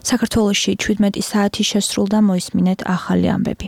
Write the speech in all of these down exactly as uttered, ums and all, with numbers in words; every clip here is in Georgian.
საქართველოში ჩვიდმეტი საათი შესრულდა, მოისმინეთ ახალი ამბები.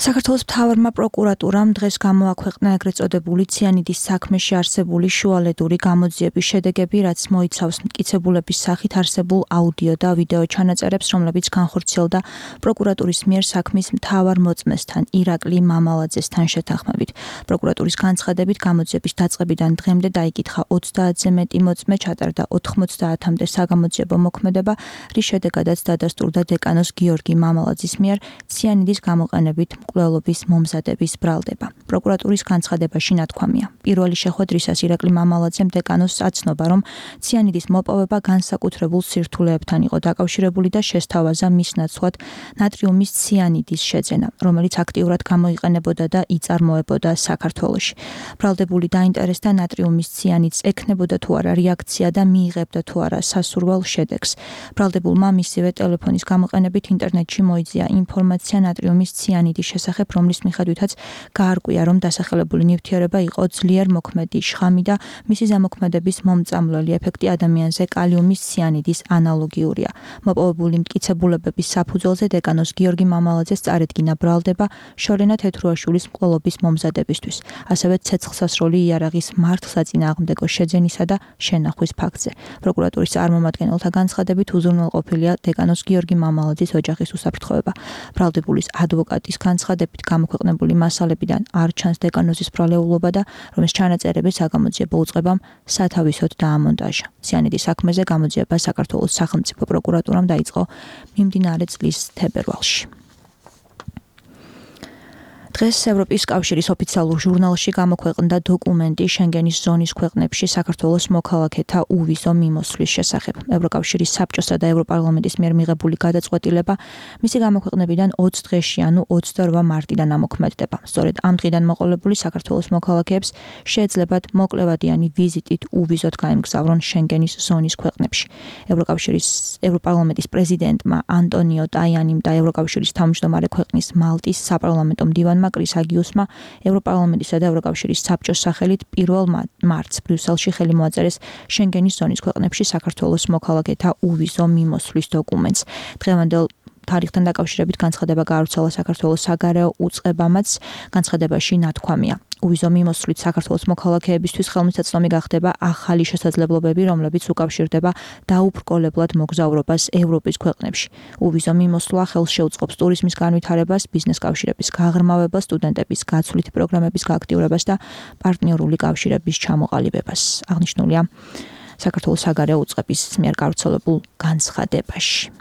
საქართველოს მთავარმა პროკურატურამ დღეს გამოაქვეყნა ეგრეთ წოდებული ციანიდის საქმეში არსებული შუალედური გამოძიების შედეგები, რაც მოიცავს მტკიცებულების სახით არსებულ აუდიო და ვიდეო ჩანაწერებს, რომლებიც განხორციელდა პროკურატურის მიერ საქმის მთავარ მოწმესთან ირაკლი მამალაძესთან შეთანხმებით. პროკურატურის განცხადებით, გამოძიების დაწყებიდან დღემდე დაიკითხა ოცდაათზე მეტი მოწმე, ჩატარდა ოთხმოცდაათამდე საგამოძიებო მოქმედება, რის შედეგადაც დადასტურდა დეკანოს გიორგი მამალაძის მიერ ციანიდის გამოყენებით მკვლელობის მომზადების ბრალდება. პროკურატურის განცხადებაში ნათქვამია. პირველი შეხვედრისას ირაკლი მამალაძემ დეკანოს აცნობა, რომ ციანიდის მოპოვება განსაკუთრებულ სირთულეებთან იყო დაკავშირებული და შესთავაზა მის ნაცვლად ნატრიუმის ციანიდის შეძენა, რომელიც აქტიურად გამოიყენებოდა და იწარმოებოდა საქართველოში. ბრალდებული დაინტერესდა ნატრიუმის ციანიდს ექნებოდა თუ არა რეაქცია და მიიღებდა თუ არა სასურველ შედეგს. ბრალდებულმა მისივე ტელეფონის გამოყენებით ინტერნეტში მოიძია ინფორმაცია ნატრიუმის ციანიდის შესახებ, რომლის მიხედვითაც გაარკვია, რომ დასახელებული ნივთიერება იყო ძლიერ მოქმედი შხამი და მისი ზემოქმედების მომწამლელი ეფექტი ადამიანზე კალიუმის ციანიდის ანალოგიურია. მოპოვებული მტკიცებულებების საფუძველზე დეკანოს გიორგი მამალაძეს წარედგინა ბრალდება შორენა თეთრუაშვილის მკვლელობის მომზადებისთვის, ასევე ცეცხლსასროლი იარაღის მართლსაწინააღმდეგო შეძენისა და შენახვის ფაქტზე. პროკურატურის წარმომადგენელთა განცხადებით, უზრუნველყოფილია დეკანოს გიორგი მამალაძის ოჯახის უსაფრთხოება. ბრალდებულის ადვოკატის განცხადებით გამოქვეყნებული მასალებიდან არ ჩანს დეკანოზის ბრალეულობა და რომის ჩანაწერები საგამოძიებო უწყებამ სათავისოდ დაამონტაჟა. ციანიდის საქმეზე გამოძიება საქართველოს სახელმწიფო პროკურატურამ დაიწყო მიმდინარე წლის თებერვალში. დღეს ევროპის კავშირის ოფიციალურ ჟურნალში გამოქვეყნდა დოკუმენტი შენგენის ზონის ქვეყნებში საქართველოს მოქალაქეთა უვიზო მიმოსვლის შესახებ. ევროკავშირის საბჭოსა და ევროპარლამენტის მიერ მიღებული გადაწყვეტილება მისი გამოქვეყნებიდან ოცი დღეში, ანუ ოცდაორვა მარტიდან ამოქმედდება. სწორედ ამ დღიდან მოყოლებული საქართველოს მოქალაქეებს შეეძლებათ მოკლევადიანი ვიზიტით უვიზოდ გაემგზავრონ შენგენის ზონის ქვეყნებში. ევროკავშირის ევროპარლამენტის პრეზიდენტმა ანტონიო ტაიანიმ და ევროკავშირის თავმჯდომარე ქვეყნის მალტის საპარლამენტო მდივანმა კრის აგიუსმა ევროპარლამენტისა და ევროკავშირის საბჭოს სახელით პირველ მარტს ბრიუსელში ხელი მოაწერეს შენგენის ზონის ქვეყნებში საქართველოს მოქალაქეთა უვიზო მიმოსვლის დოკუმენტს. დღევანდელ თარიღთან დაკავშირებით განცხადება გაავრცელა საქართველოს საგარეო უწყებამაც. განცხადებაში ნათქვამია. უვიზო მიმოსვლით საქართველოს მოქალაქეებისთვის ხელმისაწვდომი გახდება ახალი შესაძლებლობები, რომლებიც უკავშირდება დაუბრკოლებლად მოგზაურობას ევროპის ქვეყნებში. უვიზო მიმოსვლა ხელს შეუწყობს ტურიზმის განვითარებას, ბიზნეს კავშირების გაღრმავებას, სტუდენტების გაცვლითი პროგრამების გააქტიურებას და პარტნიორული კავშირების ჩამოყალიბებას. აღნიშნულია საქართველოს საგარეო უწყების მიერ გავრცელებულ განცხადებაში.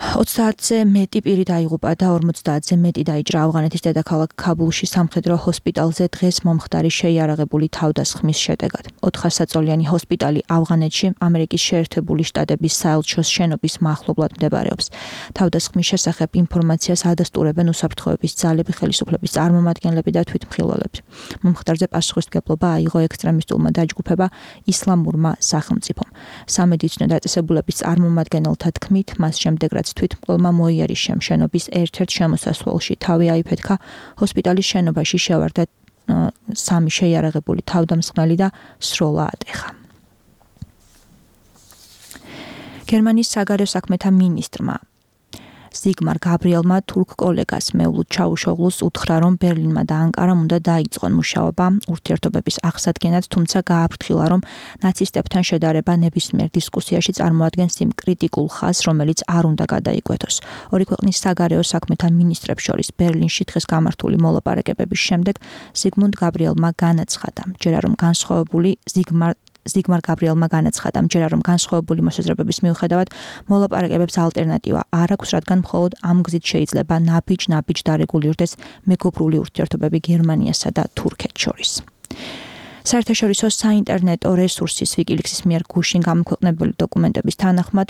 ოცდაათზე მეტი პირი დაიღუპა და ორმოცდაათზე მეტი დაიჭრა ავღანეთის დედაქალაქ ქაბულში სამხედრო ჰოსპიტალზე დღეს მომხდარი შეიარაღებული თავდასხმის შედეგად. ოთხასაწოლიანი ჰოსპიტალი ავღანეთში ამერიკის შეერთებული შტატების საელჩოს შენობის მახლობლად მდებარეობს. თავდასხმის შესახებ ინფორმაციას ადასტურებენ უსაფრთხოების ძალები, ხელისუფლების წარმომადგენლები და თვითმხილველები. მომხდარზე პასუხისმგებლობა აიღო ექსტრემისტულმა დაჯგუფება ისლამურმა სახელმწიფომ. სამედიცინო დაწესებულების წარმომადგენელთა თქმით, მას შემდეგ რაც თვითმკვლელმა მოიარიშა შენობის ერთ-ერთ შემოსასვლელში თავი აიფეთქა, ჰოსპიტალის შენობაში შევარდა სამი შეიარაღებული თავდამსხმელი და სროლა ატეხა. გერმანიის საგარეო საქმეთა მინისტრმა ზიგმარ გაბრიელმა თურქ კოლეგას მევლუდ ჩაუშოღლუს უთხრა, რომ ბერლინმა და ანკარამ უნდა დაიწყონ მუშაობა ურთიერთობების აღსადგენად, თუმცა გააფრთხილა, რომ ნაცისტებთან შედარება ნებისმიერ დისკუსიაში წარმოადგენს იმ კრიტიკულ ხაზს, რომელიც არ უნდა გადაიკვეთოს. ორი ქვეყნის საგარეო საქმეთა მინისტრებს შორის ბერლინში დღეს გამართული მოლაპარაკებების შემდეგ ზიგმუნდ გაბრიელმა განაცხადა, ჯერა რომ განსხვავებული ზიგმარ ზიგმარ გაბრიელმა განაცხადა, მჯერა რომ განსხვავებული მოსაზრებების მიუხედავად მოლაპარაკებებს ალტერნატივა არ აქვს, რადგან მხოლოდ ამ გზით შეიძლება ნაბიჯ-ნაბიჯ დარეგულირდეს მეგობრული ურთიერთობები გერმანიასა და თურქეთს შორის. საერთაშორისო საინტერნეტო რესურსის ვიკილიქსის მიერ გუშინ გამოქვეყნებული დოკუმენტების თანახმად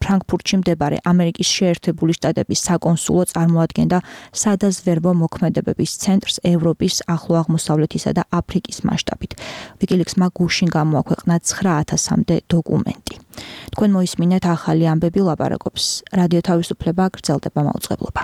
ფრანკფურტში მდებარე ამერიკის შეერთებული შტატების საკონსულო წარმოადგენდა სადაზვერვო მოქმედებების ცენტრს ევროპის, ახლო აღმოსავლეთისა და აფრიკის მასშტაბით. ვიკილიქსმა გუშინ გამოაქვეყნა ცხრა ათასამდე დოკუმენტი. თქვენ მოისმინეთ ახალი ამბები, ლაპარაკობს რადიო თავისუფლება, გრძელდება მაუწყებლობა.